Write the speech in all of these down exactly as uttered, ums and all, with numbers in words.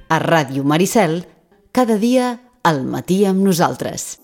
a Ràdio Maricel, cada dia al matí amb nosaltres.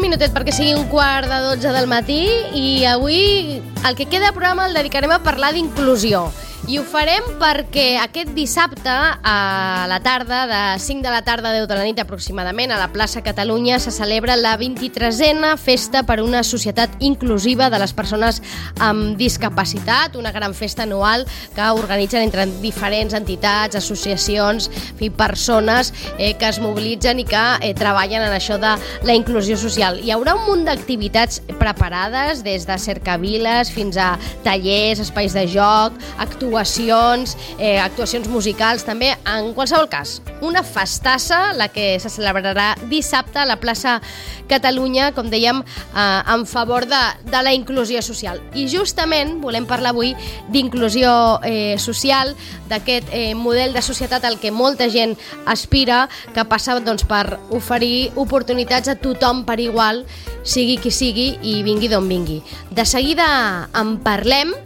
Minutet perquè sigui un quart de dotze del matí i avui el que queda de programa el dedicarem a parlar d'inclusió. I ho farem perquè aquest dissabte a la tarda, de cinc de la tarda a deu de la nit aproximadament, a la plaça Catalunya se celebra la vint-i-tresena Festa per una Societat Inclusiva de les Persones amb Discapacitat, una gran festa anual que organitzen entre diferents entitats, associacions i persones eh, que es mobilitzen i que eh, treballen en això de la inclusió social. Hi haurà un munt d'activitats preparades, des de cercaviles fins a tallers, espais de joc, actuacions, actuacions, eh, actuacions musicals també. En qualsevol cas, una festassa, la que se celebrarà dissabte a la plaça Catalunya, com dèiem, eh, en favor de, de la inclusió social. I justament volem parlar avui d'inclusió eh, social, d'aquest eh, model de societat al que molta gent aspira, que passa doncs, per oferir oportunitats a tothom per igual, sigui qui sigui i vingui d'on vingui. De seguida en parlem.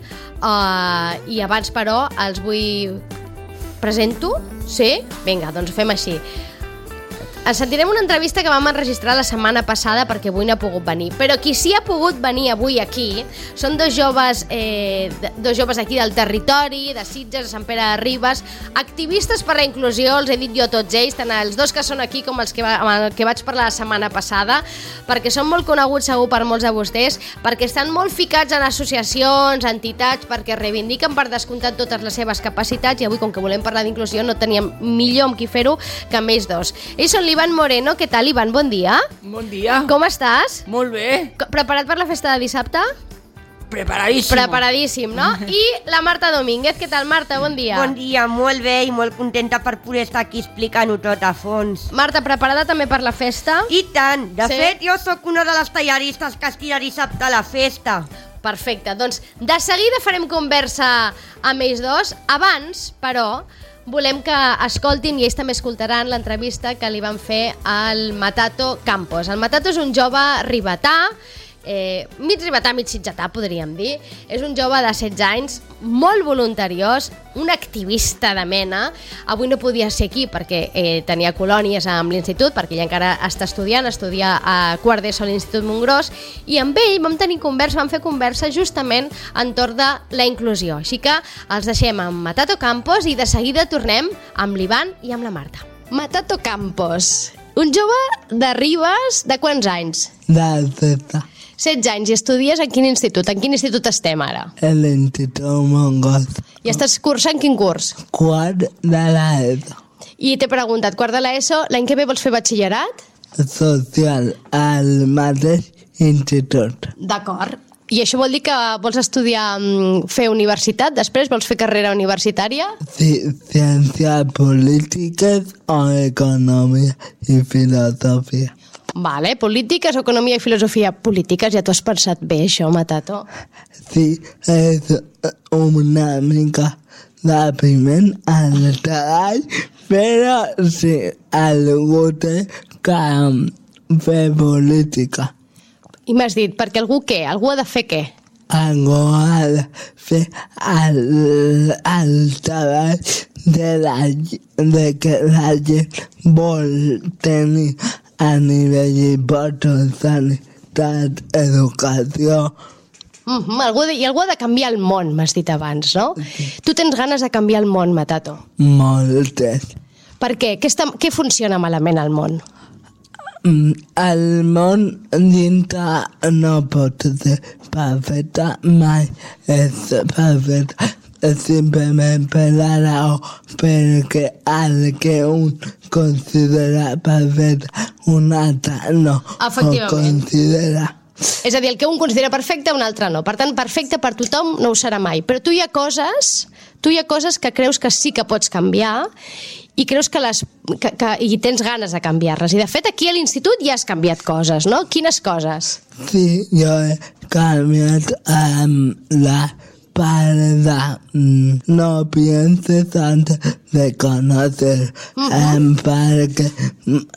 Uh, i abans però els vull... Presento? Sí? Vinga, doncs fem així. Ens sentirem una entrevista que vam enregistrar la setmana passada perquè avui no ha pogut venir, però qui sí ha pogut venir avui aquí són dos joves eh, dos joves aquí del territori, de Sitges, de Sant Pere de Ribes, activistes per la inclusió, els he dit jo tots ells, tant els dos que són aquí com els que, va, amb els que vaig parlar la setmana passada, perquè són molt coneguts segur per molts de vostès, perquè estan molt ficats en associacions, entitats, perquè reivindiquen per descomptat totes les seves capacitats, i avui, com que volem parlar d'inclusió, no teníem millor amb qui fer-ho que amb ells dos. Ells són Iván Moreno. Què tal, Iván? Bon dia. Bon dia. Com estàs? Molt bé. Preparat per la festa de dissabte? Preparadíssim. Preparadíssim, no? I la Marta Domínguez. Què tal, Marta? Bon dia. Bon dia, molt bé i molt contenta per poder estar aquí explicant-ho tot a fons. Marta, preparada també per la festa? I tant. De sí? fet, jo sóc una de les tallaristes que estira dissabte a la festa. Perfecte. Doncs de seguida farem conversa amb ells dos. Abans, però, volem que escoltin, i ells també escoltaran, l'entrevista que li van fer al Matato Campos. El Matato és un jove ribetà, eh, mig ribetà, mig sitgetà, podríem dir. És un jove de setze anys, molt voluntariós, un activista de mena. Avui no podia ser aquí perquè eh, tenia colònies amb l'institut, perquè ell encara està estudiant, estudia a quart d'ESO a l'Institut Montgròs, i amb ell vam tenir conversa, vam fer conversa justament entorn de la inclusió. Així que els deixem amb Matato Campos i de seguida tornem amb l'Ivan i amb la Marta. Matato Campos, un jove de Ribes, de quants anys? De setze. setze anys, i estudies en quin institut? En quin institut estem ara? En l'Institut Montgròs. I estàs cursant quin curs? Quart de l'ESO. I t'he preguntat, quart de l'ESO, l'any que ve vols fer batxillerat? Social, al mateix institut. D'acord. I això vol dir que vols estudiar, fer universitat, després vols fer carrera universitària? Sí, ciències polítiques o economia i filosofia. Vale, polítiques, economia i filosofia. Polítiques, ja t'ho has pensat bé, això, Matato? Sí, és una mica depriment al treball, però sí, algú té que fer política. I m'has dit, perquè algú què? Algú ha de fer què? Algú ha de fer el, el treball de, la, de que la gent vol tenir a nivell important, sanitat, educació. Mm-hmm, algú de, I algú ha de canviar el món, m'has dit abans, no? Sí. Tu tens ganes de canviar el món, Matato? Moltes. Per què? Què, està, què funciona malament al món? El món dintre no pot ser perfecte, mai és perfecte. Simplement per la raó perquè el que un considera perfecte un altre no ho considera. És a dir, el que un considera perfecte un altre no. Per tant, perfecte per tothom no ho serà mai. Però tu hi ha coses, tu hi ha coses que creus que sí que pots canviar i creus que les que, que, i tens ganes de canviar-les. I de fet aquí a l'institut ja has canviat coses, no? Quines coses? Sí, jo he canviat um, la para mm, no pienses antes de conocer, uh-huh. um, para que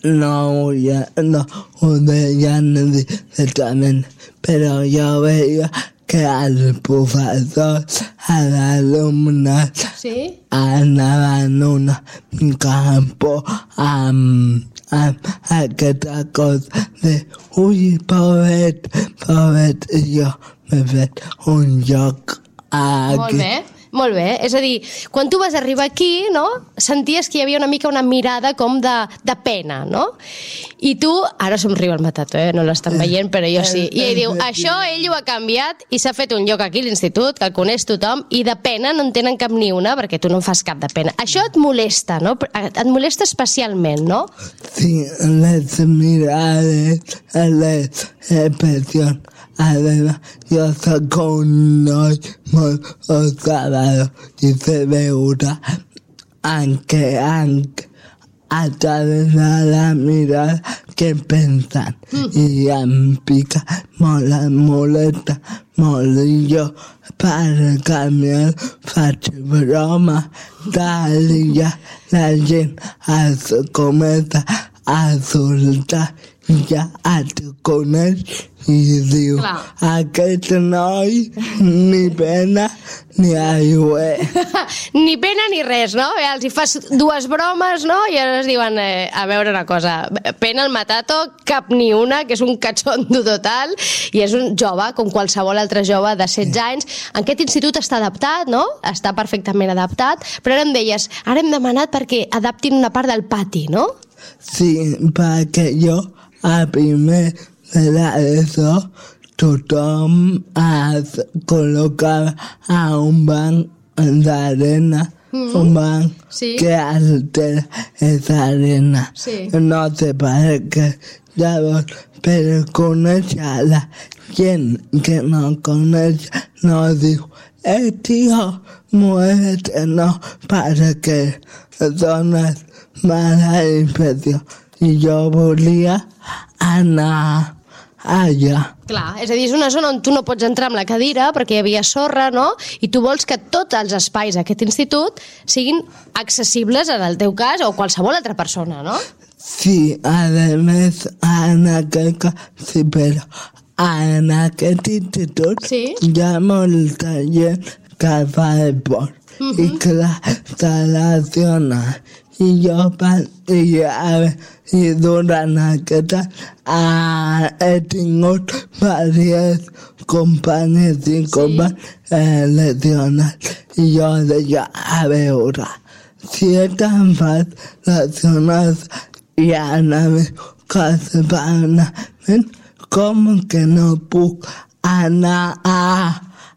no, ya, no huyan directamente. Pero yo veía que al profesor, a la alumna, sí? anaven un campo amb, amb aquesta cosa de ui, pobret, pobret, i jo m'he fet un joc aquí. Molt bé. Molt bé, és a dir, quan tu vas arribar aquí, no?, senties que hi havia una mica una mirada com de, de pena, no? I tu, ara somriu el Matato, eh? No l'estan veient, però jo sí. I ell diu, això ell ho ha canviat i s'ha fet un lloc aquí a l'institut, que el coneix tothom, i de pena no en tenen cap ni una, perquè tu no en fas cap de pena. Això et molesta, no? Et molesta especialment, no? Sí, les mirades, les expressions. Además, yo soy un noi muy osado y se veurà aunque, aunque a través de la mirada que pensan mm. i em pica molt, em molesta molt i jo per canviar faig broma tal i ja la gent es comença a soltar i ja et coneix i diu, clar, aquest noi ni pena ni aigua. Ni pena ni res, no? Els hi fas dues bromes, no? I ara es diuen, eh, a veure una cosa, pena el Matato, cap ni una, que és un catxondo total, i és un jove, com qualsevol altre jove de setze anys. En aquest institut està adaptat, no? Està perfectament adaptat, però ara em deies, ara hem demanat perquè adaptin una part del pati, no? Sí, perquè jo a primer de l'ESO tothom es col·locava a un banc d'arena, mm-hmm. un banc sí. que altera esa arena. Sí. No sé per què. Llavors, per conèixer la gent que no coneix, no diu, eh, tio, muévete, no, perquè dones mala impressió. I jo volia anar allà. Clar, és a dir, és una zona on tu no pots entrar amb la cadira perquè hi havia sorra, no? I tu vols que tots els espais d'aquest institut siguin accessibles en el teu cas o qualsevol altra persona, no? Sí, a més, en aquest cas, sí, però en aquest institut sí? hi ha molta gent que fa esport. Uh-huh. I clar, se lesiona. I jo i, a, i durant aquest uh, he tingut diverses companyes i companys eh, lesionats. I jo deia, a veure, si estan fas lesionats i en el meu cas permanent, com que no puc anar a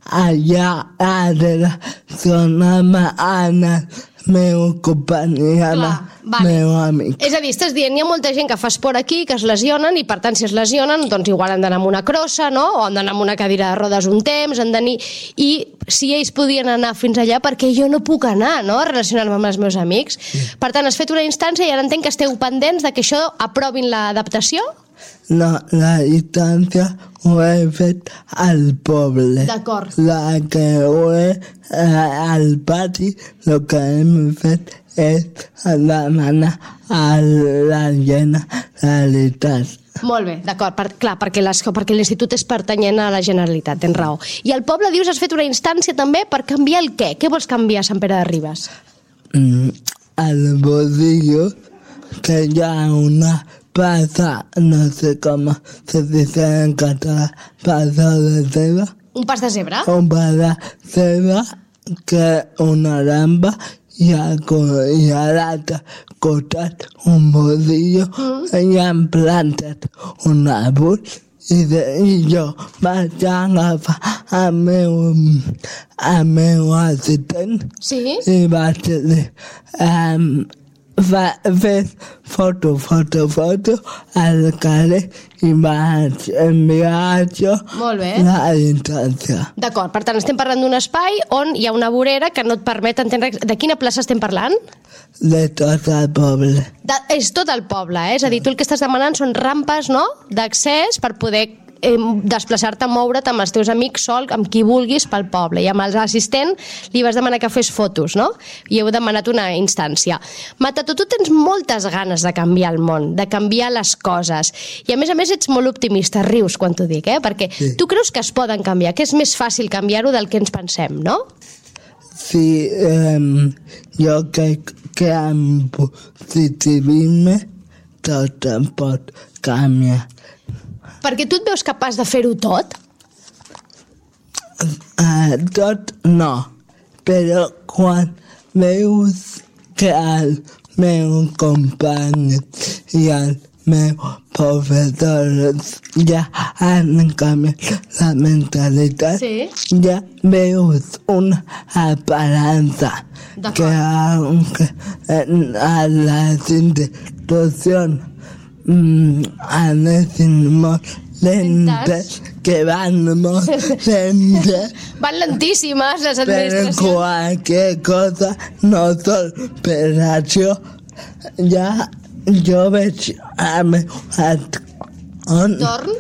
allà a relacionar-me amb el meu companyia, vale. meu amic. És a dir, estàs dient, hi ha molta gent que fa esport aquí, que es lesionen, i per tant, si es lesionen, doncs igual han d'anar amb una crossa, no? O han d'anar amb una cadira de rodes un temps, han d'anar... I si ells podien anar fins allà, perquè jo no puc anar, no?, a relacionar-me amb els meus amics. Sí. Per tant, has fet una instància i ara entenc que esteu pendents de que això aprovin l'adaptació? No, la instància ho he fet al poble. D'acord. La que ho he eh, al pati, el que hem fet és demanar a la Generalitat. Molt bé, d'acord, per, clar, perquè, les, perquè l'institut és pertanyent a la Generalitat, tens raó. I al poble, dius, has fet una instància també per canviar el què? Què vols canviar a Sant Pere de Ribes? Mm, el bolillo, que hi ha una passa, no sé com se dice en català, passa de ceba. Un pas de zebra? Un pas de ceba, que una ramba i a, i a l'altre costat un bolillo mm. i han plantat un àrbol i, de, i jo vaig agafar el meu, el meu assistent sí? i vaig dir um, va fer foto, foto, foto al carrer i vaig enviar això la instància. D'acord, per tant, estem parlant d'un espai on hi ha una vorera que no et permet entendre... De quina plaça estem parlant? De tot el poble. De, és tot el poble, eh? És a dir, tu el que estàs demanant són rampes, no?, d'accés per poder eh, desplaçar-te, moure't amb els teus amics sol, amb qui vulguis pel poble, i amb l'assistent li vas demanar que fes fotos, no? I heu demanat una instància. Matato, tu tens moltes ganes de canviar el món, de canviar les coses, i a més a més ets molt optimista, rius quan t'ho dic, eh? Perquè sí. Tu creus que es poden canviar, que és més fàcil canviar-ho del que ens pensem, no? Sí, um, jo crec que amb positivisme tot em pot canviar. Perquè tu et veus capaç de fer-ho tot? Uh, tot no, però quan veus que el meu company i el meu professor ja han canviat la mentalitat, sí. Ja veus una esperança que aunque a las institucions mm, anessin molt lentes, que van molt lentes, van lentíssimes les administracions, per qualque cosa, no sol per això, ja jo veig el meu entorn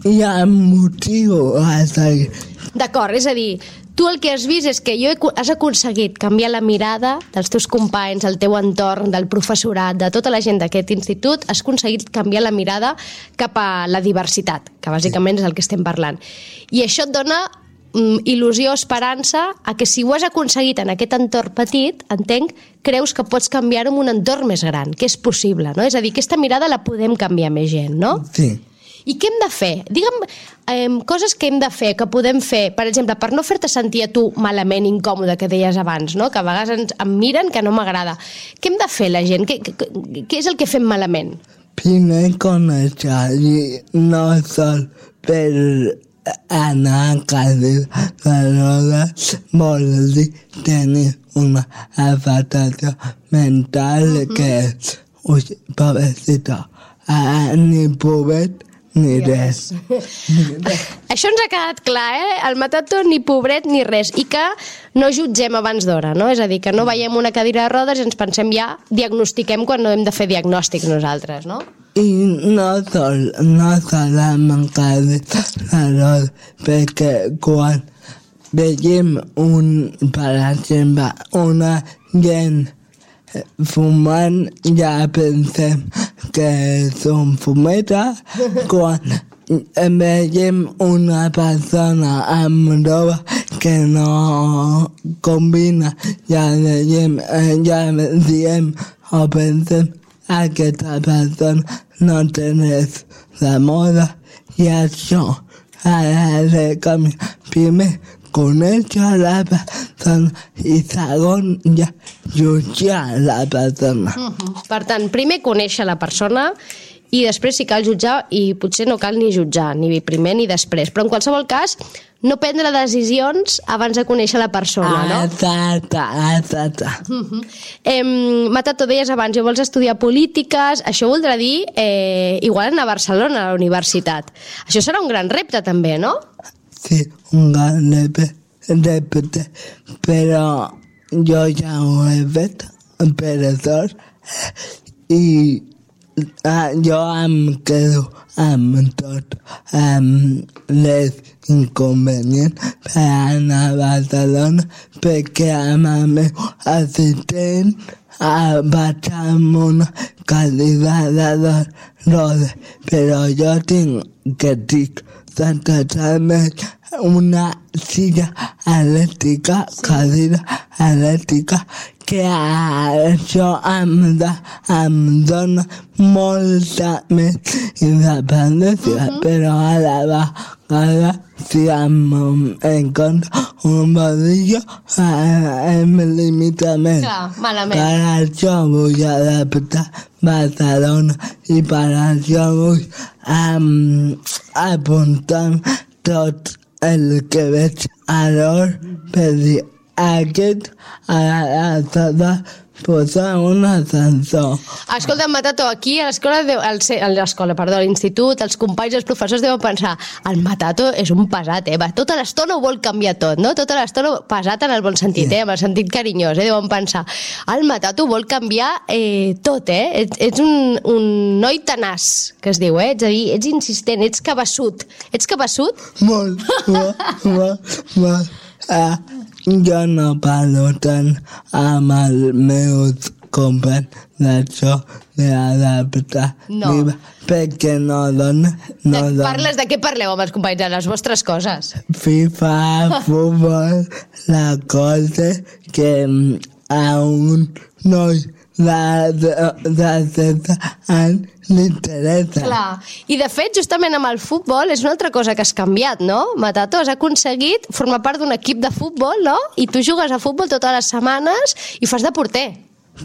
i em motivo a seguir. D'acord, és a dir, tu el que has vist és que jo he, has aconseguit canviar la mirada dels teus companys, del teu entorn, del professorat, de tota la gent d'aquest institut, has aconseguit canviar la mirada cap a la diversitat, que bàsicament és el que estem parlant. I això et dona mm, il·lusió, esperança, a que si ho has aconseguit en aquest entorn petit, entenc, creus que pots canviar-ho en un entorn més gran, que és possible, no? És a dir, aquesta mirada la podem canviar més gent, no? Sí. I què hem de fer? Digue'm eh, coses que hem de fer, que podem fer, per exemple, per no fer-te sentir a tu malament, incòmode, que deies abans, no? Que a vegades ens, em miren que no m'agrada. Què hem de fer la gent? Què, què, què és el que fem malament? Primer conèixer, no sol per anar a cadira de rodes, vol dir tenir una afectació mental uh-huh. que és, ui, pobrecito, ah, ni pobret, ni res. Això ens ha quedat clar, eh? El Matato ni pobret ni res. I que no jutgem abans d'hora, no? És a dir, que no veiem una cadira de rodes i ens pensem ja, diagnostiquem quan no hem de fer diagnòstics nosaltres, no? I no sol, no sol amb cadira de rodes, perquè quan veiem un, per exemple, una gent fumant, ja pensem que és un fumeta. Quan veiem una persona amb roba que no combina, ja veiem, ja diem o pensem aquesta persona no té res de moda, i això ha de canviar. Primer conèixer la persona i segon ja jutjar la persona. Uh-huh. Per tant, primer conèixer la persona i després si cal jutjar, i potser no cal ni jutjar, ni primer ni després, però en qualsevol cas no prendre decisions abans de conèixer la persona, no? Exacte, exacte. Uh-huh. Eh, Matato, deies abans, jo vols estudiar polítiques, això voldrà dir eh, igual anar a Barcelona, a la universitat. Això serà un gran repte també, no? Sí, un gran repte, però jo ja ho he fet, per sort, i ah, jo em quedo amb tot, amb les inconvenients per anar a Barcelona, perquè amb el meu assistent vaig amb una cadira de rodes, però jo tinc que tinc totalment una silla elèctrica, cadira elèctrica, que això em, da, em dona molta més independència, uh-huh. però a la vegada, si em encontro un bodillo, em limita més. Clar, malament. Per això vull adaptar Barcelona i per això vull um, apuntar tot el que veig a l'hora per dir, aquest ha de posar un ascensor. Escolta, Matato, aquí a l'escola, a l'escola, perdó, a l'institut, els companys, els professors deuen pensar, el Matato és un pesat, eh? Va, tota l'estona ho vol canviar tot, no? Tota l'estona pesat en el bon sentit, eh? En el sentit carinyós, eh? Deuen pensar, el Matato vol canviar eh, tot, eh? Ets, ets un, un noi tenaç, que es diu, eh? Ets a dir, ets insistent, ets cabeçut. Ets cabeçut? Molt, molt, molt, molt. Uh, jo no parlo tant amb els meus companys d'això d'adaptar no. perquè no dona, no de, dona. Parles de què parleu amb els companys, de les vostres coses? FIFA, futbol, la cosa que a un noi de, de, de setze anys l'interessa. Clar, i de fet, justament amb el futbol és una altra cosa que has canviat, no? Matato, has aconseguit formar part d'un equip de futbol, no? I tu jugues a futbol totes les setmanes i fas de porter.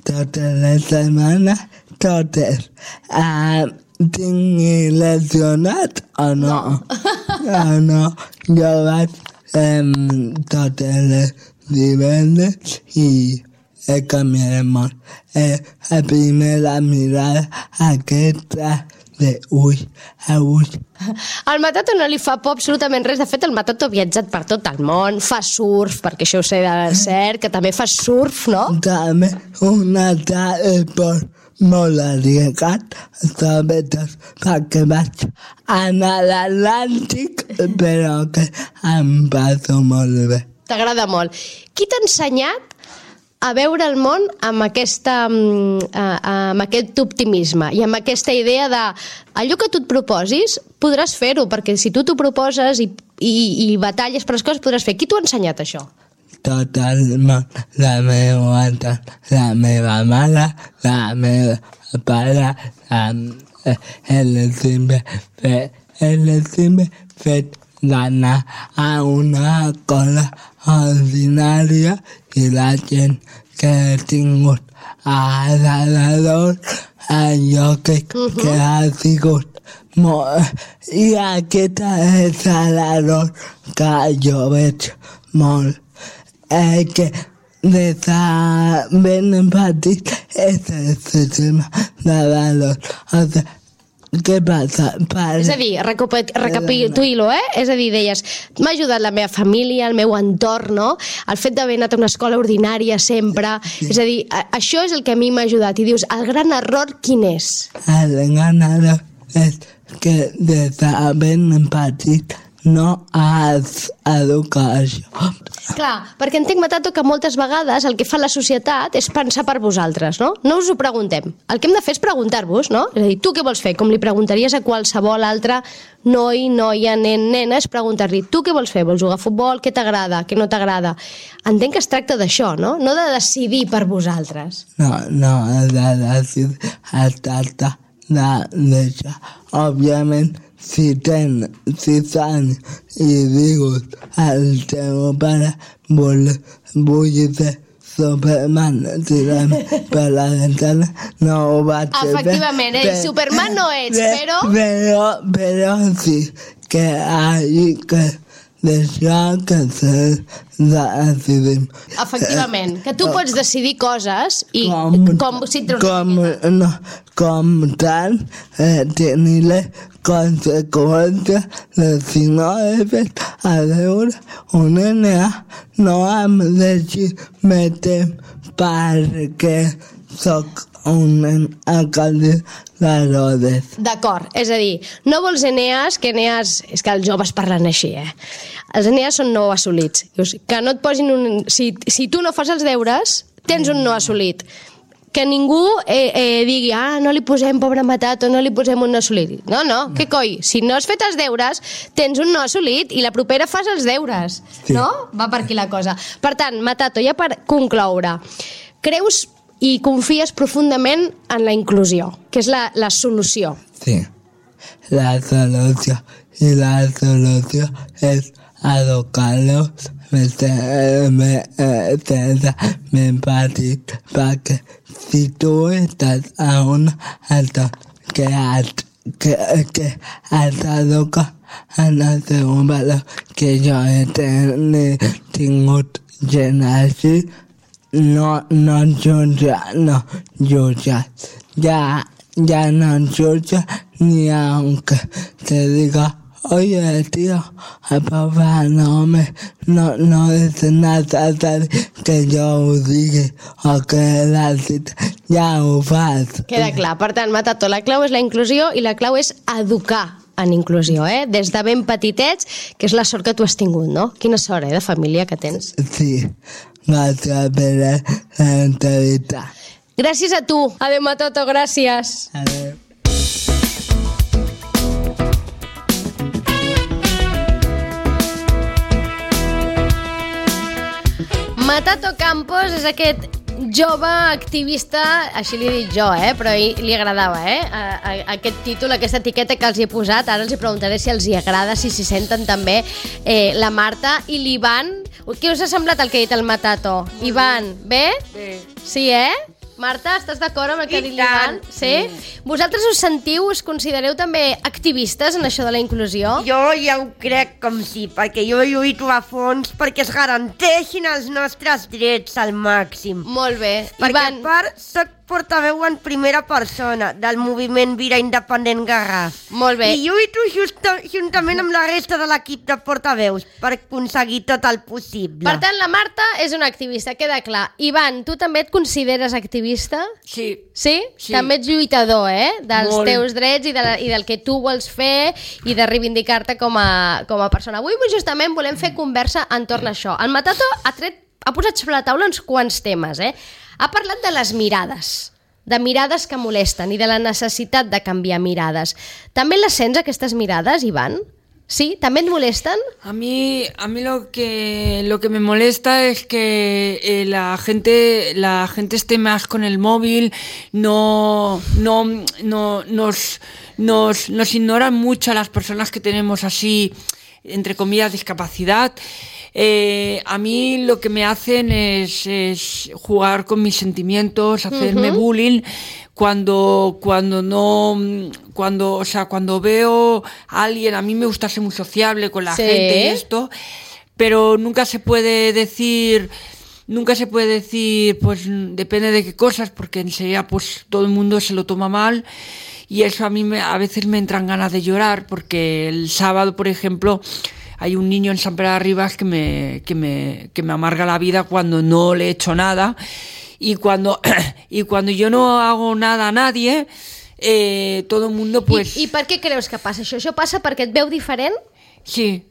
Totes les setmanes, totes. Uh, tinc lesionat o no? No, uh, no. Jo vaig um, totes les divendres i he canviat molt. Eh, a primera mirada aquesta de ull a ull. Al Matato no li fa por absolutament res. De fet, el Matato ha viatjat per tot el món, fa surf, perquè això ho sé de cert, que també fa surf, no? També un altre esport molt arriesgat, sobretot perquè vaig anar a l'Atlàntic, però que em passo molt bé. T'agrada molt. Qui t'ha ensenyat a veure el món amb, aquesta, amb aquest optimisme i amb aquesta idea de allò que tu et proposis podràs fer-ho, perquè si tu t'ho proposes i, i, i batalles per les coses podràs fer. Qui t'ho ha ensenyat, això? Tot el món, la meva entorn, la meva mare, la meva pare, el simple fet, el simple fet d'anar a una escola ordinària i la gent que he tingut a l'alrededor, allò que, uh-huh. que ha sigut molt. I aquesta és l'error que jo veig molt. Eh, que des de ben petit és el sistema de valors. O sigui, què passa? Per... És a dir, recapitulo, eh? És a dir, deies, m'ha ajudat la meva família, el meu entorn, no? El fet d'haver anat a una escola ordinària sempre. Sí. És a dir, això és el que a mi m'ha ajudat. I dius, el gran error quin és? El gran error és que des de ben petit no has educat això. Clar, perquè entenc, Matato, que moltes vegades el que fa la societat és pensar per vosaltres, no? No us ho preguntem. El que hem de fer és preguntar-vos, no? És a dir, tu què vols fer? Com li preguntaries a qualsevol altre noi, noia, nen, nena, és preguntar-li, tu què vols fer? Vols jugar a futbol? Què t'agrada? Què no t'agrada? Entenc que es tracta d'això, no? No de decidir per vosaltres. No, no, de decidir, es tracta d'això. Òbviament, si tens sis anys i dius al teu pare vull, vull ser Superman, tirant per la ventana, no ho vaig fer. Efectivament, eh? Però, Superman no ets, però... Però, però sí que hi que deixar que se decidim. Efectivament, que tu pots decidir coses i com, com si et com, no, com tant eh, tenir les conseqüències de si no he fet a veure un N A no em deixi més temps perquè soc un alcalde de Rodes. D'acord, és a dir, no vols N As, que N As, és que els joves parlen així, eh? Els N As són no assolits. Que no et posin un... Si, si tu no fas els deures, tens un no assolit. Que ningú eh, eh, digui, ah, no li posem pobre Matato, no li posem un no assolit. No, no, què coi? Si no has fet els deures, tens un no assolit i la propera fas els deures. Sí. No? Va per aquí la cosa. Per tant, Matato, ja per concloure, creus i confies profundament en la inclusió, que és la, la solució. Sí, la solució. I la solució és educar-los sense ben petit, perquè si tu estàs a una altra que has, que, que has d'educar en el seu valor que jo he ten, tingut gent així no, no jutja, no jutja. Ya, ya no jutja ni aunque te diga, oye, tío, papá, no me, no, no dice nada tal que jo ho digui o que la cita ja ho fas. Queda clar. Per tant, Matato, la clau és la inclusió i la clau és educar en inclusió, eh? Des de ben petitets, que és la sort que tu has tingut, no? Quina sort, eh, de família que tens. Sí, gràcies per l'entrevistar. Gràcies a tu. Adéu, Matato, gràcies. Adéu. Matato Campos és aquest jove activista, així li he dit jo, eh? Però li agradava, eh? A, a, aquest títol, aquesta etiqueta que els hi he posat. Ara els hi preguntaré si els hi agrada, si s'hi senten també eh, la Marta i l'Ivan. Què us ha semblat el que ha dit el Matato? Ivan, bé? Bé. Sí, eh? Marta, estàs d'acord amb el que ha dit l'Ivan? Sí? Vosaltres us sentiu, us considereu també activistes en això de la inclusió? Jo ja ho crec com sí, perquè jo lluito a fons perquè es garanteixin els nostres drets al màxim. Molt bé. Perquè Ivan... a part soc portaveu en primera persona del moviment Vira Independent Garraf. Molt bé. I lluito justa, juntament amb la resta de l'equip de portaveus per aconseguir tot el possible. Per tant, la Marta és una activista, queda clar. Ivan, tu també et consideres activista? Sí. Sí? Sí. També ets lluitador, eh? Dels Molt. teus drets i, de la, i del que tu vols fer i de reivindicar-te com a, com a persona. Avui justament volem fer conversa entorn a això. El Matato ha, tret, ha posat sobre la taula uns quants temes, eh? Ha parlat de les mirades, de mirades que molesten i de la necessitat de canviar mirades. També les sents, aquestes mirades, Ivan? ¿Sí? ¿También molestan? A mí, a mí lo que lo que me molesta es que eh, la gente la gente esté más con el móvil, no no no nos nos nos ignoran mucho a las personas que tenemos así, entre comillas, discapacidad. Eh, a mí lo que me hacen es, es jugar con mis sentimientos, hacerme uh-huh. bullying cuando cuando no cuando o sea cuando veo a alguien. A mí me gusta ser muy sociable con la sí. gente y esto, pero nunca se puede decir nunca se puede decir pues depende de qué cosas, porque enseguida pues todo el mundo se lo toma mal. Y eso a mí me, a veces me entran ganas de llorar, porque el sábado, por ejemplo, hay un niño en San Pere de Ribas que me, que me, que me amarga la vida cuando no le he hecho nada. Y cuando, y cuando yo no hago nada a nadie, eh, todo el mundo pues... I, I per què creus que passa això? Això passa perquè et veu diferent? Sí.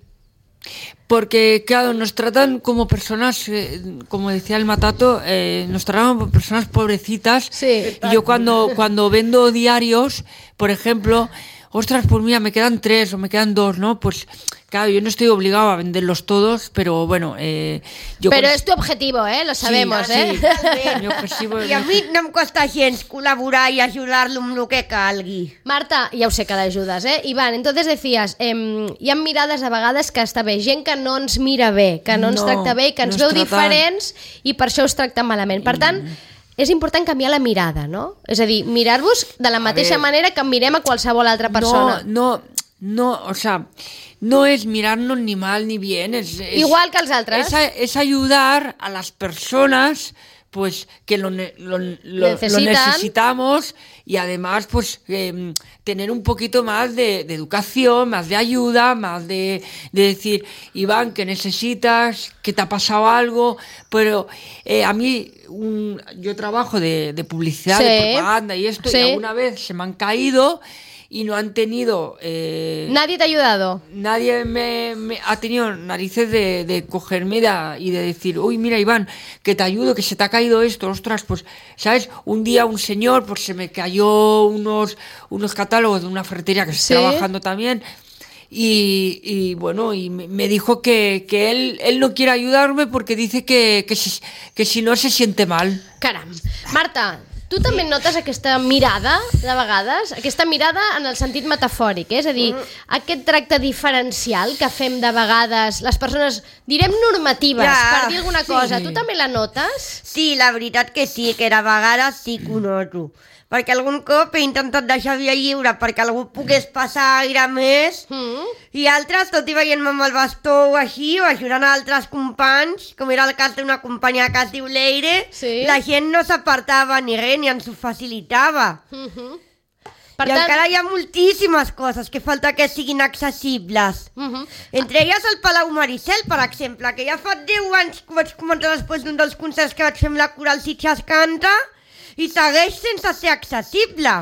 Porque, claro, nos tratan como personas, eh, como decía el Matato, eh, nos tratan como personas pobrecitas. Sí. Y yo cuando, cuando vendo diarios, por ejemplo, ostras, pues mira, me quedan tres o me quedan dos, ¿no? Pues claro, yo no estoy obligado a venderlos todos, pero bueno... Eh, yo pero con... es tu objetivo, ¿eh? Lo sabemos, sí, ¿eh? Sí. Mi objetivo I a mi no em costa gens col·laborar i ajudar-lo amb el que calgui. Marta, ja ho sé que l'ajudes, ¿eh? Iván, entonces decías, eh, hi ha mirades a vegades que està bé, gent que no ens mira bé, que no ens no, tracta bé i que ens no veu diferents i per això us tracta malament. Per tant, és important canviar la mirada, no? És a dir, mirar-vos de la mateixa manera que mirem a qualsevol altra persona. No, no, no, o sea... No es mirarnos ni mal ni bien, es, es igual que els altres. Es, es ayudar a las personas pues que lo, lo, lo, lo necesitamos, y además pues eh, tener un poquito más de, de educación, más de ayuda, más de, de decir, Iván, que necesitas, que te ha pasado algo. Pero eh, a mí un, yo trabajo de, de publicidad, sí. de propaganda y esto, sí. y alguna vez se me han caído y no han tenido... Eh, ¿Nadie te ha ayudado? Nadie me, me ha tenido narices de, de cogerme de, y de decir, uy, mira, Iván, que te ayudo, que se te ha caído esto, ostras, pues, ¿sabes? Un día un señor, pues se me cayó unos, unos catálogos de una ferretería que ¿Sí? estoy trabajando también, y, y bueno, y me dijo que, que él, él no quiere ayudarme porque dice que, que, si, que si no se siente mal. Caram. Marta... Tu també notes aquesta mirada, de vegades, aquesta mirada en el sentit metafòric, eh? És a dir, aquest tracte diferencial que fem de vegades les persones, direm normatives, ja, per dir alguna cosa, sí. Tu també la notes? Sí, la veritat que sí, que de vegades sí que ho noto. perquè algun cop he intentat deixar via lliure perquè algú pogués passar aire més, mm. i altres, tot i veient-me amb el bastó o així, o ajudant a altres companys, com era el cas d'una companya que es diu Leire, sí. la gent no s'apartava ni res, ni ens ho facilitava. Mm-hmm. Per I tant... encara hi ha moltíssimes coses que falta que siguin accessibles. Uh-huh. Entre elles el Palau Maricel, per exemple, que ja fa deu anys que vaig comentar després d'un dels concerts que vaig fer amb la Coral Sitges Canta i segueix sense ser accessible.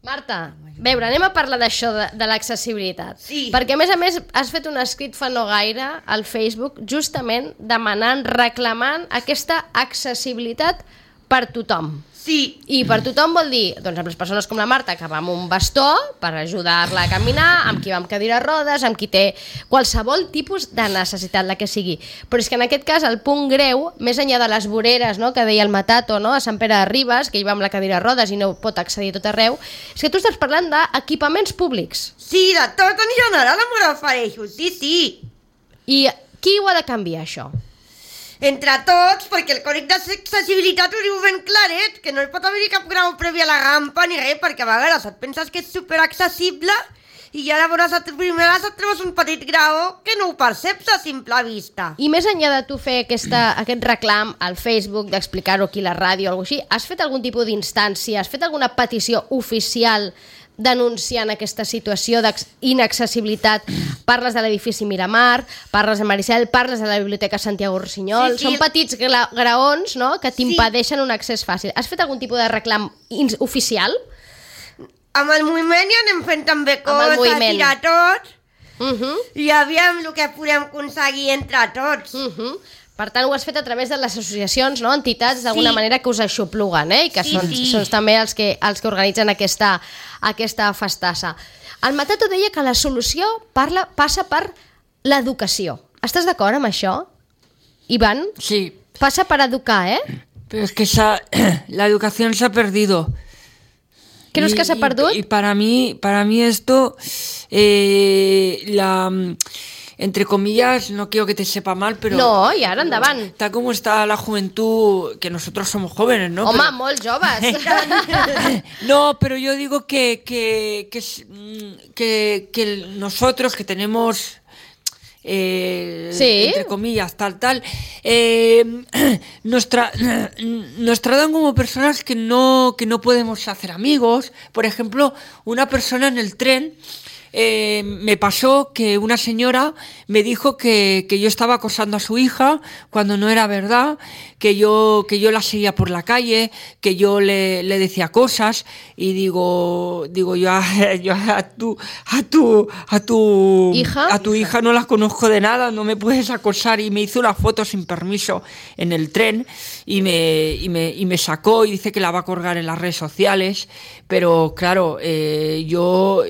Marta, veure, anem a parlar d'això, de, de l'accessibilitat. Sí. Perquè, a més a més, has fet un escrit fa no gaire al Facebook justament demanant, reclamant aquesta accessibilitat per tothom. Sí. I per tothom vol dir, doncs amb les persones com la Marta, que va amb un bastó per ajudar-la a caminar, amb qui va amb cadira de rodes, amb qui té qualsevol tipus de necessitat, la que sigui. Però és que en aquest cas el punt greu, més enllà de les voreres, no?, que deia el Matato, no?, a Sant Pere de Ribes, que hi va amb la cadira de rodes i no pot accedir a tot arreu, és que tu estàs parlant d'equipaments públics. Sí, de tot en general em refereixo, sí, sí. I qui ho ha de canviar, això? Entre tots, perquè el còdic d'accessibilitat ho diu ben claret, que no hi pot haver cap grau previ a la rampa ni res, perquè a vegades et penses que és superaccessible i ja llavors a primeres et trobes un petit grau que no ho perceps a simple vista. I més enllà de tu fer aquesta, aquest reclam al Facebook, d'explicar-ho aquí a la ràdio o alguna cosa així, has fet algun tipus d'instància, has fet alguna petició oficial denunciant aquesta situació d'inaccessibilitat? Parles de l'edifici Miramar, parles de Maricel, parles de la Biblioteca Santiago Rossinyol, sí, sí. Són petits gra graons, no?, que t'impedeixen sí. un accés fàcil. Has fet algun tipus de reclam oficial? Amb el moviment ja anem fent també coses, tirar tot, uh -huh. i aviam el que podem aconseguir entre tots. Uh -huh. Per tant, ho has fet a través de les associacions, no?, entitats, d'alguna sí. manera que us aixopluguen, eh? I que sí, són, sí. són també els que, els que organitzen aquesta, aquesta festassa. El Matato deia que la solució parla, passa per l'educació. Estàs d'acord amb això, Iván? Sí. Passa per educar, ¿eh? Pero es que esa, la educación se ha perdido. ¿Crees y, que se ha perdido? Y, y para mí, para mí esto, eh, la... entre comillas, no quiero que te sepa mal, pero... No, i ara endavant. Está como está la juventud, que nosotros somos jóvenes, ¿no? Home, pero... molt joves. No, pero yo digo que, que, que, que, que nosotros que tenemos... Eh, sí. entre comillas, tal, tal, eh, nos, tra nos tratan como personas que no, que no podemos hacer amigos. Por ejemplo, una persona en el tren... Eh, me pasó que una señora me dijo que, que yo estaba acosando a su hija cuando no era verdad, que yo, que yo la seguía por la calle, que yo le, le decía cosas, y digo, digo yo, a, yo a tu, a tu, a tu ¿Hija? a tu hija no la conozco de nada, no me puedes acosar, y me hizo una foto sin permiso en el tren y me, y me, y me sacó y dice que la va a colgar en las redes sociales, pero claro, eh, yo,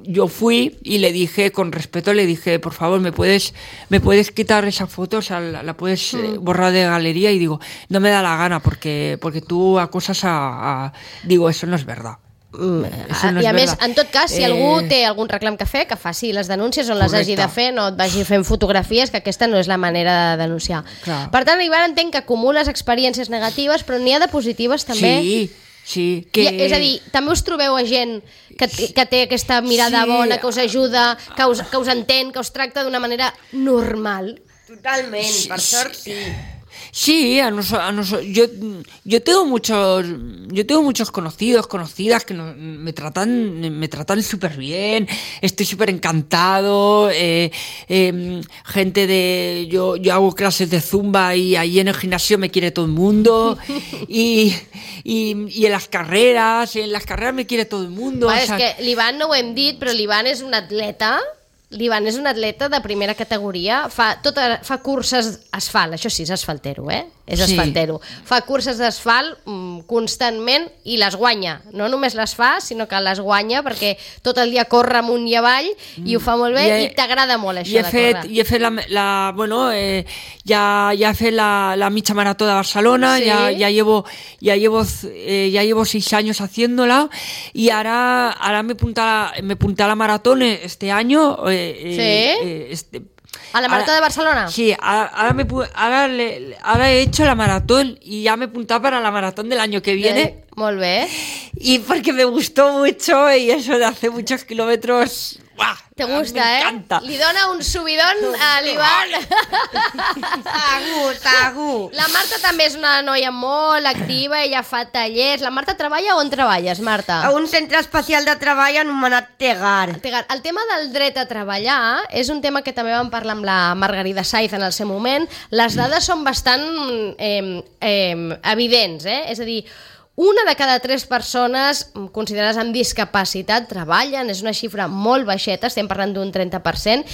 yo fui y le dije, con respeto, le dije, por favor, ¿me puedes, me puedes quitar esa foto? O sea, la, la puedes eh, borrar de galería. Y digo, no me da la gana porque, porque tú acosas a, a... Digo, eso no es verdad. Mm, eso no I a més, en tot cas, si eh... algú té algun reclam que fer, que faci les denúncies on les hagi de fer, no et vagi fent fotografies, que aquesta no és la manera de denunciar. Clar. Per tant, Ivan, entenc que acumules experiències negatives, però n'hi ha de positives també. Sí. Sí, que... I, és a dir, també us trobeu a gent que, que té aquesta mirada sí. bona, que us ajuda, que us, que us entén, que us tracta d'una manera normal? Totalment, sí, per sort sí. Sí, a nos, a nos, yo, yo tengo muchos, yo tengo muchos conocidos, conocidas que no, me tratan, me tratan súper bien, estoy súper encantado, eh, eh, gente de, yo, yo hago clases de zumba y ahí en el gimnasio me quiere todo el mundo, y, y, y en las carreras, en las carreras me quiere todo el mundo. Va, o sea, és que l'Ivan no ho hem dit, però l'Ivan és un atleta. L'Ivan és un atleta de primera categoria, fa, tota, fa curses asfalt, això sí, és asfaltero, eh? És sí. asfaltero. Fa curses d'asfalt mm, constantment i les guanya. No només les fa, sinó que les guanya perquè tot el dia corre amunt i avall i ho fa molt bé. I, he, i t'agrada molt això de fet, córrer. I he fet la, la bueno, eh, ja, ja he fet la, la mitja marató de Barcelona, sí. ya, ya llevo, ya llevo, eh, ya llevo seis años haciéndola y ahora, ahora me apunta, me apunté a la maratón este año. Eh, Eh, ¿Sí? Eh, este, ¿A la maratón ahora, de Barcelona? Sí, ahora, ahora, me, ahora, le, ahora he hecho la maratón y ya me he apuntado para la maratón del año que viene. Eh, molt bé. Y porque me gustó mucho y eso de hacer muchos kilómetros... ¡buah! Te gusta, me eh? encanta. Li dona un subidón a l'Ivan. Segur, segur. La Marta també és una noia molt activa, ella fa tallers. La Marta treballa on treballes, Marta? A un centre especial de treball anomenat Tegar. Tegar. El tema del dret a treballar és un tema que també vam parlar amb la Margarida Saiz en el seu moment. Les dades són bastant eh, eh, evidents, eh? És a dir, una de cada tres persones considerades amb discapacitat treballen, és una xifra molt baixeta, estem parlant d'un trenta per cent,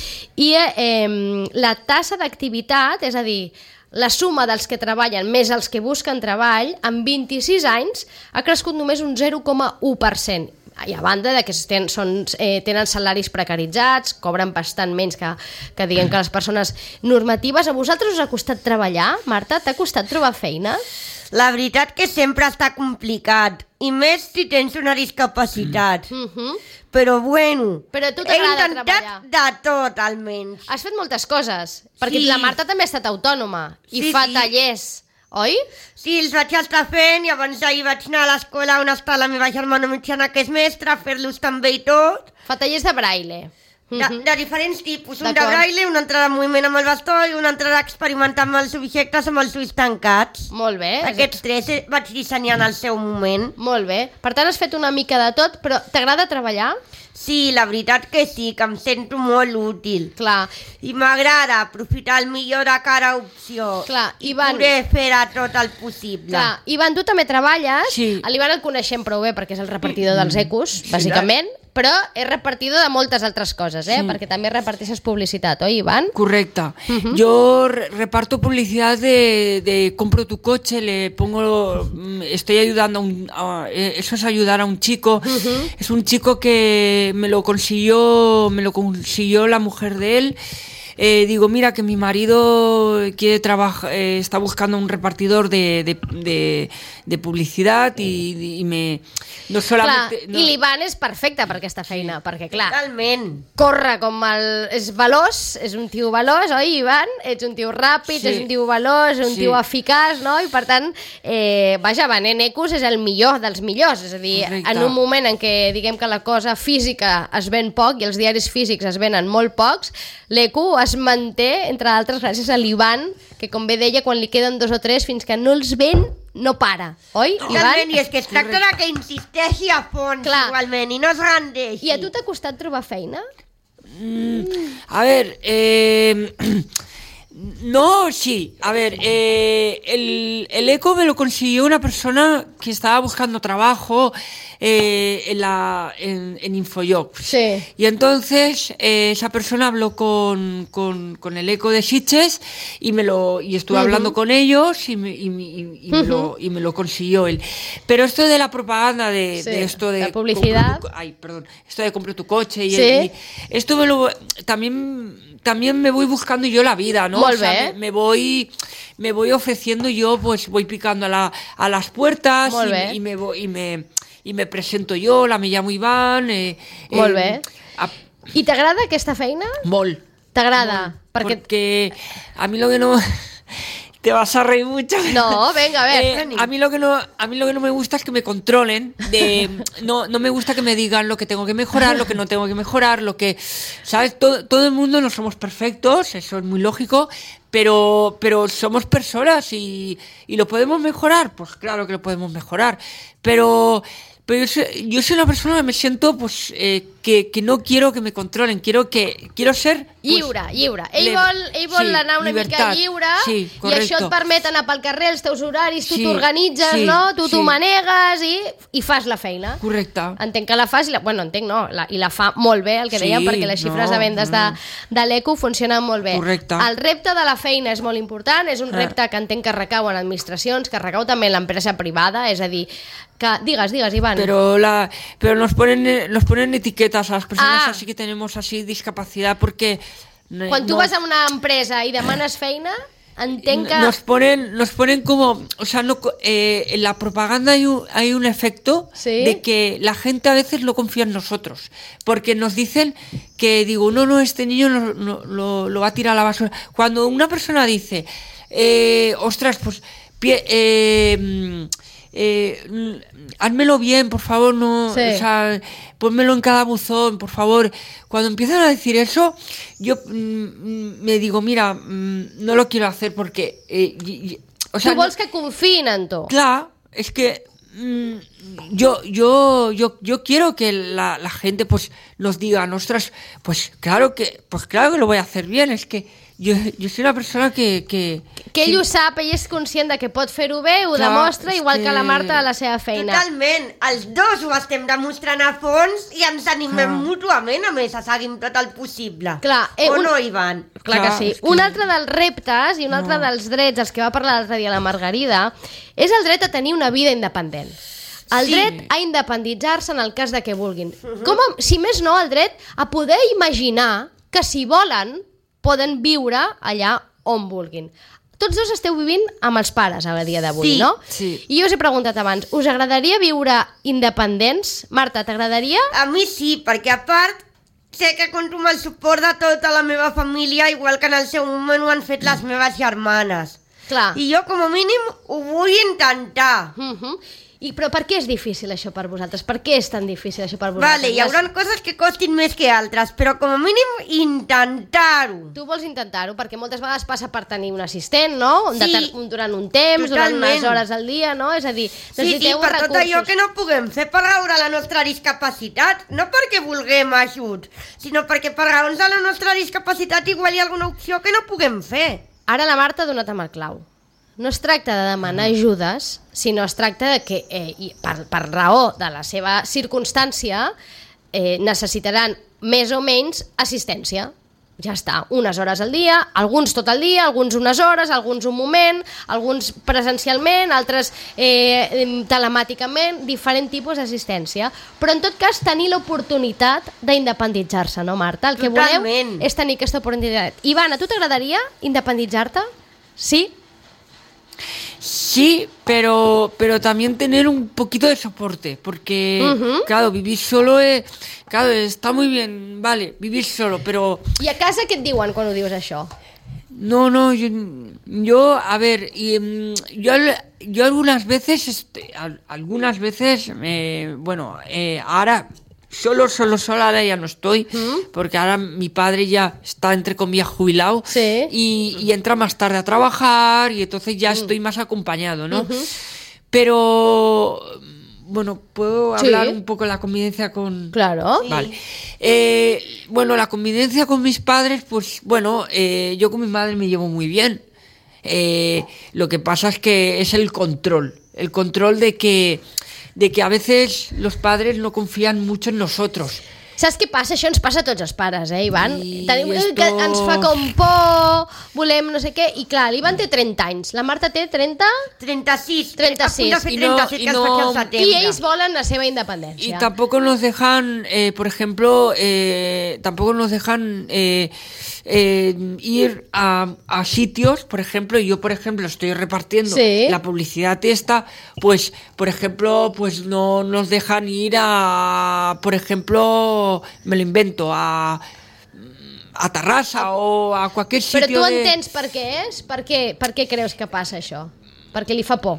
i eh, la tassa d'activitat, és a dir, la suma dels que treballen més els que busquen treball, en vint-i-sis anys ha crescut només un zero coma u per cent. I a banda de que ten, són, eh, tenen salaris precaritzats, cobren bastant menys que, que diguem que les persones normatives. A vosaltres us ha costat treballar, Marta? T'ha costat trobar feina? La veritat que sempre està complicat, i més si tens una discapacitat. Mm -hmm. Però bueno, Però a tu t'agrada he intentat de tot, almenys. Has fet moltes coses, perquè Sí. la Marta també ha estat autònoma i Sí, fa sí. tallers, oi? Sí, els vaig estar fent, i abans d'ahir vaig anar a l'escola on està la meva germana mitjana, que és mestra, a fer-los també i tot. Fa tallers de braille. De, de diferents tipus, un de D'acord. braille, un altre de moviment amb el bastó i un altre d'experimentar amb els objectes amb els ulls tancats. Molt bé. Aquests tres eh, vaig dissenyar en el seu moment. Molt bé. Per tant, has fet una mica de tot, però t'agrada treballar? Sí, la veritat que sí, que em sento molt útil. Clar. I m'agrada aprofitar el millor de cada opció. Clar, i Ivan- poder fer a tot el possible. Clar. Ivan, tu també treballes. Sí. A l'Ivan el coneixem prou bé perquè és el repartidor dels ecos, bàsicament, però és repartidor de moltes altres coses, eh? Sí. Perquè també reparteixes publicitat, oi, Ivan? Correcta. Yo re- reparto publicidad de, de compro tu coche, le pongo, mm, estoy ayudando a un, a- eh, eso es ayudar a un chico. Es un chico que me lo consiguió, me lo consiguió la mujer de él. Eh, digo, mira que mi marido quiere trabajar, eh, está buscando un repartidor de, de, de, de publicidad y, y me no Clar, solamente no- i l'Ivan és perfecte per aquesta feina, perquè clar, Totalment. corre com el... és veloç, és un tio veloç, oi, Ivan? Ets un tio ràpid, Sí. és un tio veloç, és un Sí. tio eficaç, no? I per tant, eh, vaja, venent ecos és el millor dels millors, és a dir, Correcte. en un moment en què diguem que la cosa física es ven poc i els diaris físics es venen molt pocs, l'eco es manté, entre d'altres, gràcies a l'Ivan, que com bé deia, quan li queden dos o tres, fins que no els ven, no para, oi, Ivan? Totalment, i és que es tracta de que insisteixi a fons, Clar. igualment, i no es rendeixi. I a tu t'ha costat trobar feina? A ver, eh, no, sí. A ver, eh, el, el eco me lo consiguió una persona que estaba buscando trabajo eh, en, la, en, en Infojobs. Sí. Y entonces eh, esa persona habló con, con, con el eco de Sitges y me lo y estuve hablando con ellos y me, y, me- y- y me lo, y me lo consiguió él. Pero esto de la propaganda de, Sí, de esto de la publicidad. compro tu- ay, perdón, esto de compro tu coche y, Sí. y esto me lo también también me voy buscando yo la vida, ¿no? Molt O sea, bé. me, me voy me voy ofreciendo yo, pues voy picando a, la, a las puertas Molt y, bé. y me voy y me y me presento yo, la me llamo Iván. Eh, Molt eh, bé. a- I t'agrada aquesta feina? Mol. T'agrada? Perquè... Porque a mí lo que no te vas a reír mucho. No, venga, a ver. Eh, a mí lo que no a mí lo que no me gusta es que me controlen, de no no me gusta que me digan lo que tengo que mejorar, lo que no tengo que mejorar, lo que sabes, todo, todo el mundo no somos perfectos, eso es muy lógico, pero pero somos personas y, y lo podemos mejorar, pues claro que lo podemos mejorar, pero pero yo soy, yo soy una persona que me siento pues eh, que, que no quiero que me controlen, quiero que quiero ser pues, Lliure, lliure. Ell le- vol, ell vol sí, anar una mica llibertat. lliure Sí, i correcto. això et permet anar pel carrer, els teus horaris, tu Sí, t'organitzes, sí, no? Tu t'ho sí. manegues i, i fas la feina. correcta. Entenc que la fas, i la, bueno, entenc no, la, i la fa molt bé, el que Sí, dèiem, perquè les xifres no, de vendes de, no. de l'Eco funcionen molt bé. Correcte. El repte de la feina és molt important, és un Ah. repte que entenc que recau en administracions, que recau també en l'empresa privada, és a dir, que... Digues, digues, Ivan. Pero la pero nos ponen eh, nos ponen etiquetas a las personas Ah. así que tenemos así discapacidad porque no- Quan tu no- vas a una empresa i demanes feina, entenc que... Nos ponen, nos ponen como, o sea, no, eh, en la propaganda hay un, hay un efecto ¿Sí? de que la gente a veces no confía en nosotros, porque nos dicen que, digo, no, no, este niño no, no, lo, lo va a tirar a la basura. Cuando una persona dice, eh, ostras, pues, pie, eh, eh, házmelo bien, por favor, no, Sí. o sea, pónmelo en cada buzón, por favor. Cuando empiezan a decir eso, yo mm, me digo, mira, mm, no lo quiero hacer porque... Eh, y, y, o sea, tu vols no, que confiïn en tu. Clar, es que mm, yo, yo, yo, yo quiero que la, la gente pues nos diga, ostras, pues claro que, pues claro que lo voy a hacer bien, es que yo, yo soy una persona que... Que, Que ell sí, ho sap, ell és conscient de que pot fer-ho bé, ho Clar, demostra, és igual que... que la Marta a la seva feina. Totalment, els dos ho estem demostrant a fons i ens animem Clar. mútuament, a més, a seguir amb tot el possible. Clar, eh, o un- no, Ivan? Clar que Clar, sí. és que- Un altre dels reptes i un altre dels drets, els que va parlar l'altre dia la Margarida, és el dret a tenir una vida independent. El Sí. dret a independitzar-se en el cas de que vulguin. Com a, si més no, el dret a poder imaginar que si volen poden viure allà on vulguin. Tots dos esteu vivint amb els pares a dia d'avui, Sí, no? sí. I jo us he preguntat abans, us agradaria viure independents? Marta, t'agradaria? A mi sí, perquè a part sé que compto amb el suport de tota la meva família, igual que en el seu moment ho han fet les meves germanes. Clar. I jo, com a mínim, ho vull intentar. Uh -huh. I, però per què és difícil això per vosaltres? Per què és tan difícil això per vosaltres? Vale, hi haurà coses que costin més que altres, però com a mínim intentar-ho. Tu vols intentar-ho, perquè moltes vegades passa per tenir un assistent, no? Sí, Deter- durant un temps, durant totalment. unes hores al dia, no? És a dir, Sí, sí, necessiteu per tot recursos. allò que no puguem fer per raure la nostra discapacitat, no perquè vulguem ajut, sinó perquè per raons de la nostra discapacitat igual hi ha alguna opció que no puguem fer. Ara la Marta ha donat amb el clau. No es tracta de demanar ajudes, sinó es tracta de que, eh, i per, per raó de la seva circumstància, eh, necessitaran més o menys assistència. Ja està, unes hores al dia, alguns tot el dia, alguns unes hores, alguns un moment, alguns presencialment, altres eh, telemàticament, diferent tipus d'assistència. Però en tot cas tenir l'oportunitat d'independitzar-se, no, Marta? El que voleu Totalment. és tenir aquesta oportunitat. Ivana, a tu t'agradaria independitzar-te? Sí? Sí, pero, pero también tener un poquito de soporte, porque, Ujú. claro, vivir solo es, claro, está muy bien, vale, vivir solo, pero I a casa què et diuen quan ho dius això? no, no, yo, yo a ver, y, mm, yo, al- yo algunas veces, este, al- algunas veces, eh, bueno, eh, ahora solo, solo, solo, ahora ya no estoy, porque ahora mi padre ya está, entre comillas, jubilado, Sí. y, y entra más tarde a trabajar, y entonces ya estoy más acompañado, ¿no? Pero, bueno, ¿puedo Sí. hablar un poco de la convivencia con...? Claro. Vale. Eh, bueno, la convivencia con mis padres, pues bueno, eh, yo con mi madre me llevo muy bien. Eh, lo que pasa es que es el control, el control de que, de que a veces los padres no confían mucho en nosotros. Saps què passa? Això ens passa a tots els pares, eh, Ivan? I Tenim, esto- que ens fa com por, volem no sé què, i clar, l'Ivan té trenta anys, la Marta té trenta, trenta-sis. trenta-sis. A punt de fer I no- trenta-set, i que ens no- faig al i setembre. ells volen la seva Y independència. tampoco nos dejan, eh, por ejemplo, eh, tampoco nos dejan eh, eh, ir a, a sitios, por ejemplo, yo, por ejemplo, estoy repartiendo Sí. la publicidad esta, pues, por ejemplo, pues no nos dejan ir a, por ejemplo, me lo invento, a a Tarrasa o a cualquier Però sitio tu de... entens per què és? Per què, per què creus que passa això? Perquè li fa por.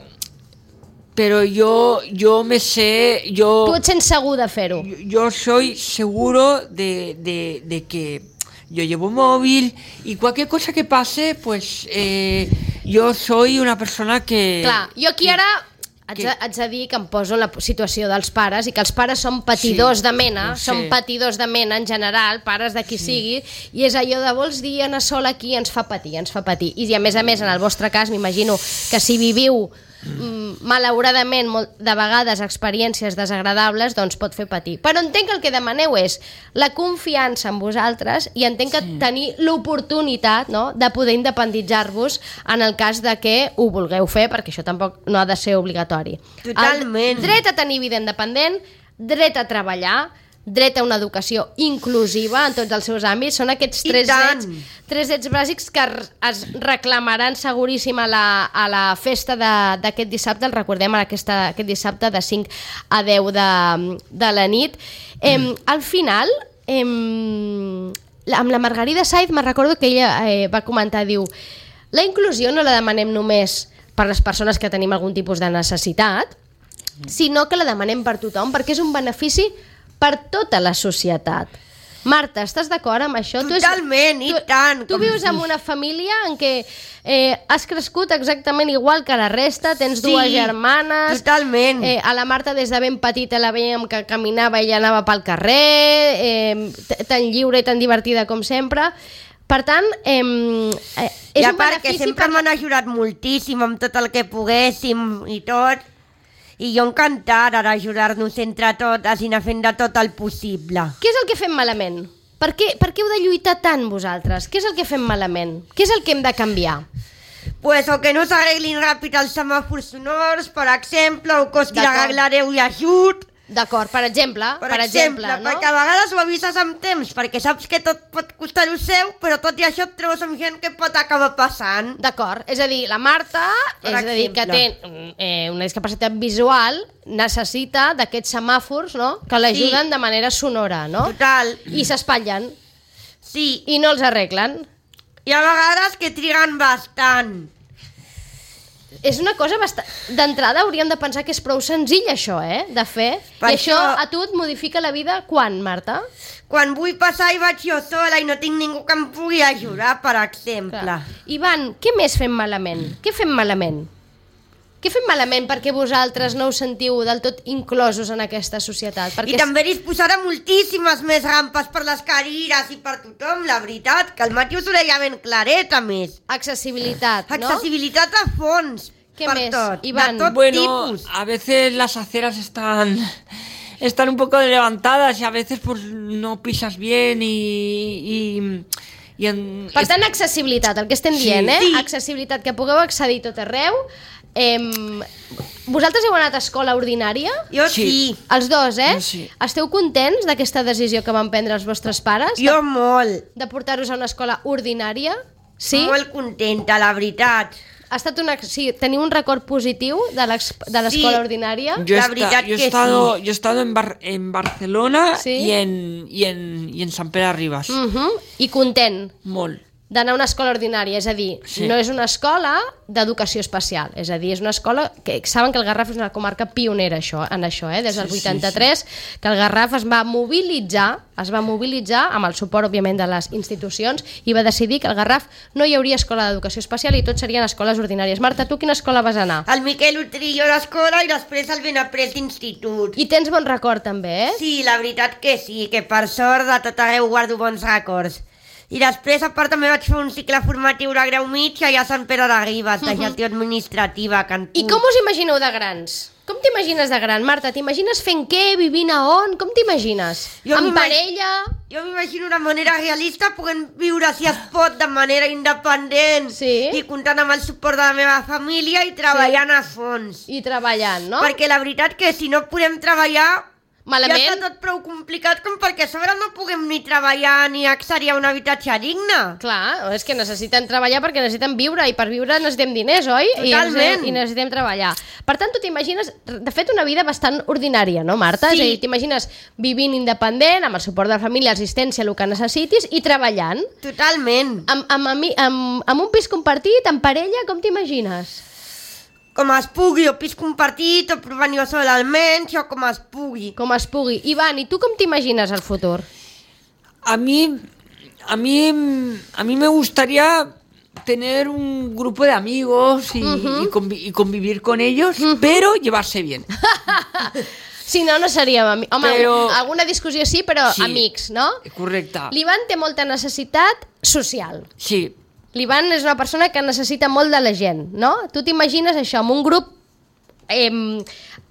Pero yo, yo me sé, yo... Tu et sents segur de fer-ho. Yo, yo soy seguro de, de, de que yo llevo móvil y cualquier cosa que pase, pues eh, yo soy una persona que... Clar, jo aquí que- ara haig de, haig de dir que em poso en la situació dels pares i que els pares són patidors Sí, de mena, ho sé. són patidors de mena en general, pares de qui sigui, i és allò de vols dir anar sol aquí, ens fa patir, ens fa patir. I a més a més, en el vostre cas, m'imagino que si viviu mm, malauradament molt, de vegades experiències desagradables, doncs pot fer patir. Però entenc que el que demaneu és la confiança en vosaltres i entenc que Sí. tenir l'oportunitat, no?, de poder independitzar-vos en el cas de que ho vulgueu fer, perquè això tampoc no ha de ser obligatori. Totalment. El dret a tenir vida independent, dret a treballar, dret a una educació inclusiva en tots els seus àmbits. Són aquests tres drets, tres drets bàsics que es reclamaran seguríssim a la, a la festa d'aquest dissabte. El recordem aquesta, aquest dissabte de cinc a deu de, de la nit. Eh, al final, eh, amb la Margarida Saiz me recordo que ella eh, va comentar, diu, la inclusió no la demanem només per les persones que tenim algun tipus de necessitat, sinó que la demanem per tothom, perquè és un benefici per tota la societat. Marta, estàs d'acord amb això? Totalment, tu, i tant. Tu vius en una família en què eh, has crescut exactament igual que la resta, tens sí, dues germanes... totalment. Eh, a la Marta des de ben petita la veiem que caminava i anava pel carrer, eh, tan lliure i tan divertida com sempre... Per tant, eh, eh, és I a un part que benefici... sempre per... m'han ajudat moltíssim amb tot el que poguéssim i tot... I jo encantada d'ajudar-nos entre totes i anar fent de tot el possible. Què és el que fem malament? Per què, per què heu de lluitar tant vosaltres? Què és el que fem malament? Què és el que hem de canviar? Pues o que no s'arreglin ràpid els semàfors sonors, per exemple, o costi l'arreglareu i ajut. D'acord, per exemple, per, per exemple, exemple no? Perquè a vegades ho avises amb temps, perquè saps que tot pot costar-ho seu, però tot i això et trobes amb gent que pot acabar passant. D'acord, és a dir, la Marta, per és a dir, que té eh, una discapacitat visual, necessita d'aquests semàfors, no?, que l'ajuden sí. de manera sonora, no? Total. I s'espatllen. Sí. I no els arreglen. I a vegades que triguen bastant. És una cosa bastant... D'entrada hauríem de pensar que és prou senzill això, eh?, de fer. Per I això... això a tu et modifica la vida quan, Marta? Quan vull passar i vaig jo sola i no tinc ningú que em pugui ajudar, per exemple. Clar. Ivan, què més fem malament? Què fem malament? Què fem malament perquè vosaltres no us sentiu del tot inclosos en aquesta societat? Perquè I també disposarà moltíssimes més rampes per les cadires i per tothom, la veritat, que el Mati us ho deia ben claret, a més. Accessibilitat, ¿no? Accessibilitat a fons. ¿Qué per més, tot, Iván? De tot bueno, tipus. A veces las aceras están... están un poco levantadas y a veces pues no pisas bien y... y... I en... Per tant, accessibilitat, el que estem dient, sí, eh? Sí. Accessibilitat, que pugueu accedir tot arreu. Eh, vosaltres heu anat a escola ordinària? Jo sí. sí. Els dos, eh? Sí. Esteu contents d'aquesta decisió que van prendre els vostres pares? Jo de, molt. De portar-vos a una escola ordinària? Sí? Molt contenta, la veritat. Ha estat una, sí, teniu un record positiu de l'escola sí. ordinària? Yo, La esta, veritat yo, he que estado, sí. yo he estado en, Bar, en Barcelona sí? y, en, y, en, y en Sant Pere Ribas. Uh -huh. I content? Molt. D'anar a una escola ordinària, és a dir, sí. no és una escola d'educació especial, és a dir, és una escola que saben que el Garraf és una comarca pionera això, en això, eh? Des del sí, vuitanta-tres, sí, sí. que el Garraf es va mobilitzar, es va mobilitzar amb el suport, òbviament, de les institucions i va decidir que al Garraf no hi hauria escola d'educació especial i tot serien escoles ordinàries. Marta, tu quina escola vas anar? El Miquel Utrillo d'escola i després el Benaprés d'institut. I tens bon record també, eh? Sí, la veritat que sí, que per sort de tot arreu guardo bons records. I després, a part, també vaig fer un cicle formatiu de grau mig allà a Sant Pere de Ribes, de gestió administrativa. Cantú. I com us imagineu de grans? Com t'imagines de gran, Marta? T'imagines fent què, vivint a on? Com t'imagines? Amb parella? Jo m'imagino una manera realista, podent viure, si es pot, de manera independent sí. i comptant amb el suport de la meva família i treballant sí. a fons. I treballant, no? Perquè la veritat que si no podem treballar... Malament. Ja està tot prou complicat com perquè a sobre no puguem ni treballar ni accedir a un habitatge digne. Clar, és que necessiten treballar perquè necessiten viure i per viure necessitem diners, oi? Totalment. I, I necessitem treballar. Per tant, tu t'imagines, de fet, una vida bastant ordinària, no, Marta? Sí. És a dir, t'imagines vivint independent, amb el suport de la família, assistència, el que necessitis i treballant. Totalment. Amb, amb, amb, amb, amb un pis compartit, amb parella, com t'imagines? Com es pugui, o pis compartit, o provant jo sol almenys, o com es pugui. Com es pugui. Ivan, i tu com t'imagines el futur? A mí, a mí, a mí me gustaría tener un grupo de amigos y, uh-huh. y, convi y convivir con ellos, uh-huh. pero llevarse bien. Si no, no seríem amics. Home, però... alguna discussió sí, però sí, amics, no? Correcte. L'Ivan té molta necessitat social. Sí. L'Ivan és una persona que necessita molt de la gent, no? Tu t'imagines això, amb un grup eh,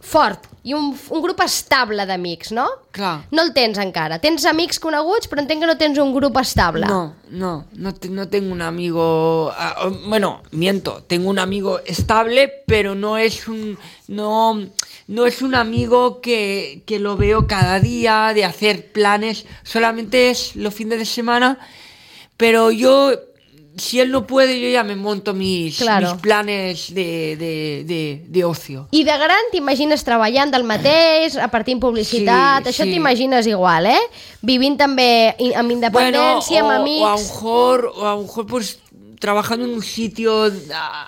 fort i un, un grup estable d'amics, no? Clar. No el tens encara. Tens amics coneguts, però entenc que no tens un grup estable. No, no, no, te, no tengo un amigo... Uh, bueno, miento, tengo un amigo estable, pero no es un... No, no es un amigo que, que lo veo cada día, de hacer planes, solamente es los fines de semana, pero yo... Si él no puede, yo ya me monto mis, claro. mis planes de, de, de, de ocio. I de gran t'imagines treballant del mateix, repartint publicitat, sí, això sí. t'imagines igual, eh? Vivint també amb independència, bueno, o, amb amics... O a lo mejor, o a lo mejor pues, trabajando en un sitio,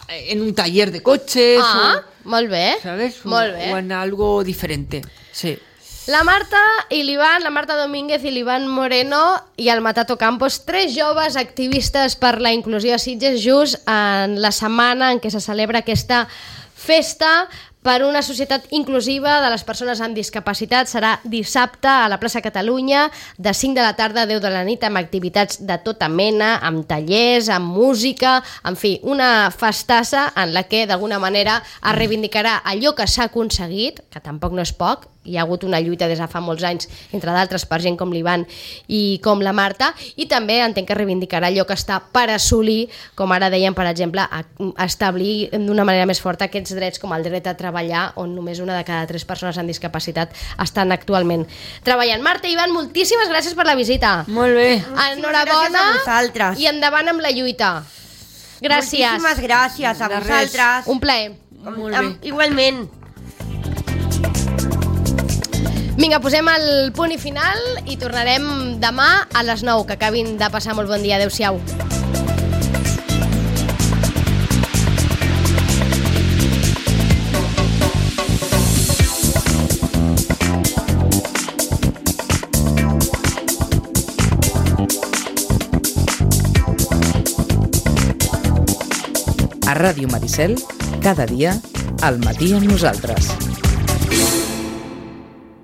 en un taller de coches. Ah, o, molt bé. ¿Sabes? Molt bé. O en algo diferente, sí. La Marta i l'Ivan, la Marta Domínguez i l'Ivan Moreno i el Matato Campos, tres joves activistes per la inclusió a Sitges, just en la setmana en què se celebra aquesta festa per una societat inclusiva de les persones amb discapacitat. Serà dissabte a la plaça Catalunya de cinc de la tarda a deu de la nit amb activitats de tota mena, amb tallers, amb música, en fi, una festassa en la que d'alguna manera es reivindicarà allò que s'ha aconseguit, que tampoc no és poc. Hi ha hagut una lluita des de fa molts anys, entre d'altres per gent com l'Ivan i com la Marta, i també entenc que reivindicarà allò que està per assolir, com ara dèiem, per exemple, a establir d'una manera més forta aquests drets com el dret a treballar, on només una de cada tres persones amb discapacitat estan actualment treballant. Marta i Ivan, moltíssimes gràcies per la visita. Molt bé. Enhorabona gràcies a i endavant amb la lluita. Gràcies. Moltíssimes gràcies a De vosaltres. Un plaer. Molt bé. Igualment. Vinga, posem el punt i final i tornarem demà a les nou. Que acabin de passar molt bon dia. Adéu-siau. A Ràdio Maricel, cada dia, al matí amb nosaltres.